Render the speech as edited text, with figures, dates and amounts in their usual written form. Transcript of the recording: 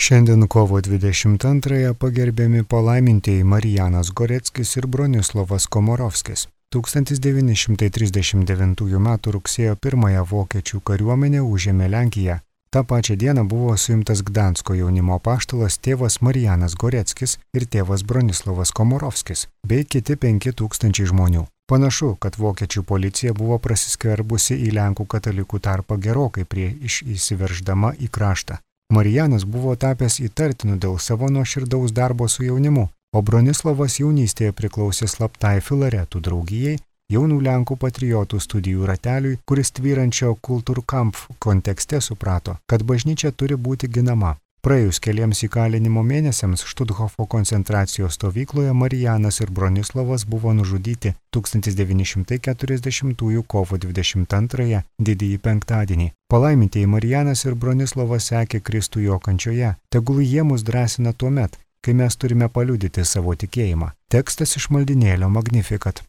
Šiandien kovo 22-ąją pagerbiami palaimintieji Marijanas Goreckis ir Bronislovas Komorovskis. 1939 m. rugsėjo 1-ąją vokiečių kariuomenė užėmė Lenkiją. Ta pačia diena buvo suimtas Gdansko jaunimo apaštalas tėvas Marijanas Goreckis ir tėvas Bronislovas Komorovskis, bei kiti 5000 žmonių. Panašu, kad vokiečių policija buvo prasiskverbusi į Lenkų katalikų tarpą gerokai prieš įsiverždama į kraštą. Marijanas buvo tapęs įtartinu dėl savo nuoširdaus darbo su jaunimu, o Bronislovas jaunystėje priklausė slaptai Filaretų draugijai, jaunų Lenkų patriotų studijų rateliui, kuris tvyrančio Kulturkampf kontekste suprato, kad bažnyčia turi būti ginama. Praėjus keliems įkalinimo mėnesiams Štuthofo koncentracijos stovykloje Marijanas ir Bronislovas buvo nužudyti 1940 kovo 22 didįjį penktadienį. Palaimintieji Marijanas ir Bronislovas sekė Kristų jo kančioje. Tegul jie mus drąsina tuomet, kai mes turime paliudyti savo tikėjimą. Tekstas iš maldynėlio Magnificat.